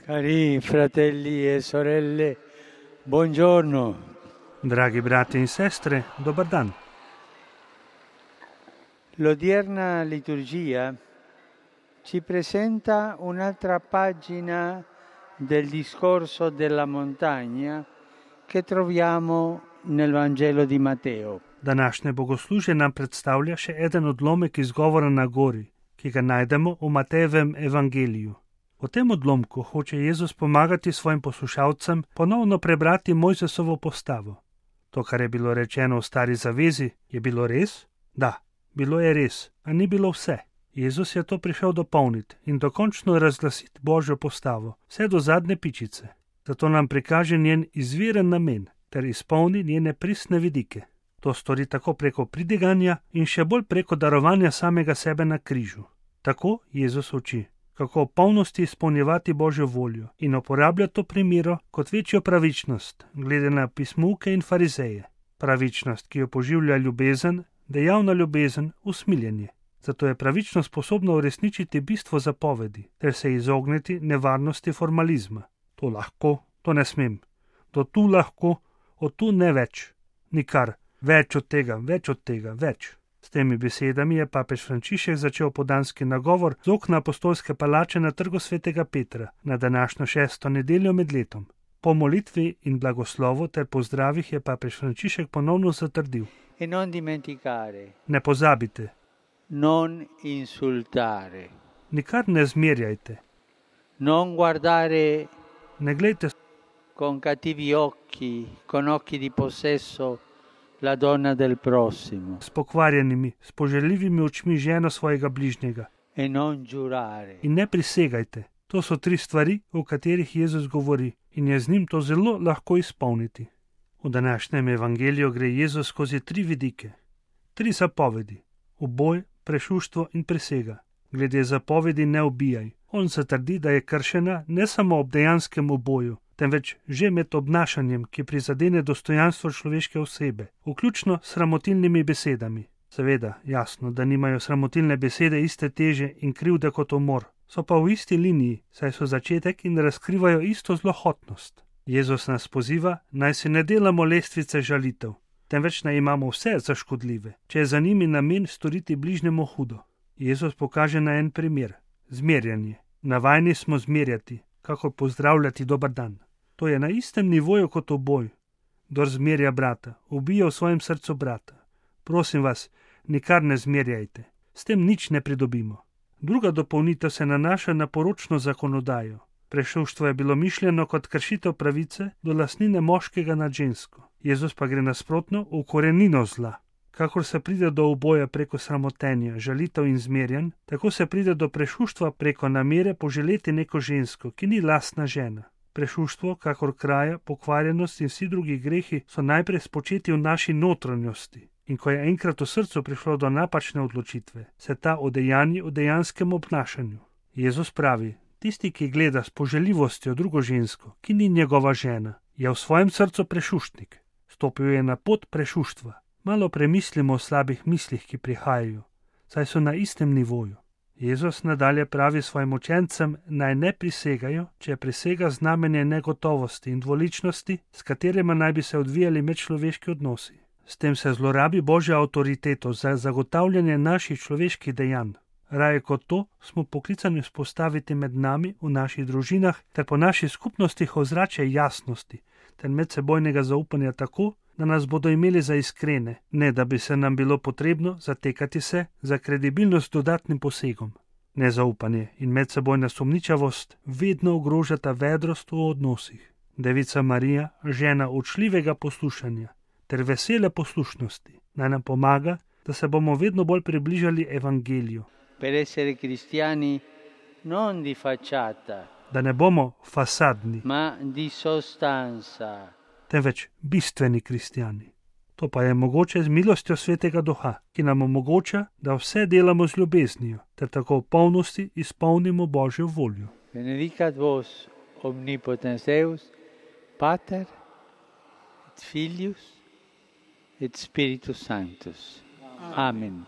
Cari fratelli e sorelle, buongiorno. Dragi brati in sestre, dobar dan. L'odierna liturgia ci presenta un'altra pagina del discorso della montagna che troviamo nel Vangelo di Matteo. Današnje bogoslužje nam predstavlja še eden odlomek izgovora na gori, ki ga najdemo v Matejevem evangeliju. V tem odlomku hoče Jezus pomagati svojim poslušalcem ponovno prebrati Mojzesovo postavo. To, kar je bilo rečeno v Stari zavezi, je bilo res? Da, bilo je res, a ni bilo vse. Jezus je to prišel dopolniti in dokončno razglasiti Božjo postavo, vse do zadnje pičice. Zato nam prikaže njen izviren namen ter izpolni njene pristne vidike. To stori tako preko pridiganja in še bolj preko darovanja samega sebe na križu. Tako Jezus uči, kako v polnosti izpolnjevati Božjo voljo in uporablja to primero kot večjo pravičnost, glede na pismuke in farizeje. Pravičnost, ki jo poživlja ljubezen, dejavna ljubezen, usmiljenje. Zato je pravičnost sposobna uresničiti bistvo zapovedi ter se izogniti nevarnosti formalizma. To lahko, to ne smem. To tu lahko, od tu ne več. Nikar. Več od tega, več. S temi besedami je papež Frančišek začel podanski nagovor z okna apostolske palače na Trgu svetega Petra na današnjo 6. nedeljo med letom. Po molitvi in blagoslovu ter pozdravih je papež Frančišek ponovno zatrdil: E non dimenticare, ne pozabite, non insultare, nikar ne zmerjajte, non guardare ne glejte con cattivi occhi, con occhi di possesso, la donna del prossimo. s pokvarjenimi, s poželjivimi očmi ženo svojega bližnjega. E non giurare. In ne prisegajte. To so 3 stvari, o katerih Jezus govori in je z njim to zelo lahko izpolniti. V današnjem evangeliju gre Jezus skozi 3 vidike, 3 zapovedi, uboj, prešuštvo in prisega. Glede zapovedi ne ubijaj. On se trdi, da je kršena ne samo ob dejanskem uboju, temveč že med obnašanjem, ki prizadene dostojanstvo človeške osebe, vključno s sramotilnimi besedami. Seveda, jasno, da nimajo sramotilne besede iste teže in krivde kot umor, so pa v isti liniji, saj so začetek in razkrivajo isto zlohotnost. Jezus nas poziva, naj si ne delamo lestvice žalitev, temveč naj imamo vse za škodljive, če je za njimi namen storiti bližnjemu hudo. Jezus pokaže na en primer, zmerjanje. Navajeni smo zmerjati, kakor pozdravljati dober dan. To je na istem nivoju kot uboj. Kdor zmerja brata, ubija v svojem srcu brata. Prosim vas, nikar ne zmerjajte, s tem nič ne pridobimo. Druga dopolnitev se nanaša na poročno zakonodajo. Prešuštvo je bilo mišljeno kot kršitev pravice do lastnine moškega nad žensko. Jezus pa gre nasprotno v korenino zla. Kakor se pride do uboja preko sramotenja, žalitev in zmerjanj, tako se pride do prešuštva preko namere poželeti neko žensko, ki ni lastna žena. Prešuštvo, kakor kraja, pokvarjenost in vsi drugi grehi so najprej spočeti v naši notranjosti. In ko je enkrat v srcu prišlo do napačne odločitve, se ta odejanji v dejanskem obnašanju. Jezus pravi, tisti, ki gleda s poželjivostjo drugo žensko, ki ni njegova žena, je v svojem srcu prešuštnik. Stopil je na pot prešuštva. Malo premislimo o slabih mislih, ki prihajajo, saj so na istem nivoju. Jezus nadalje pravi svojim učencem, naj ne prisegajo, če prisega znamenje negotovosti in dvoličnosti, s katerima naj bi se odvijali medčloveški odnosi. S tem se zlorabi Božjo avtoriteto za zagotavljanje naših človeških dejanj. Raje kot to smo poklicani vzpostaviti med nami v naših družinah ter po naših skupnostih ozračje jasnosti ter medsebojnega zaupanja tako, da nas bodo imeli za iskrene, ne da bi se nam bilo potrebno zatekati se za kredibilnost dodatnim posegom. Nezaupanje in medsebojna sumničavost vedno ogrožata vedrost v odnosih. Devica Marija, žena učljivega poslušanja ter vesele poslušnosti, naj nam pomaga, da se bomo vedno bolj približali evangeliju. Per essere cristiani non di facciata, Da ne bomo fasadni, ma di sostanza. temveč bistveni kristjani. To pa je mogoče z milostjo Svetega Duha, ki nam omogoča, da vse delamo z ljubeznijo, ter tako v polnosti izpolnimo Božjo voljo. Benedicat vos omnipotens Deus, Pater, et Filius, et Spiritus Sanctus. Amen.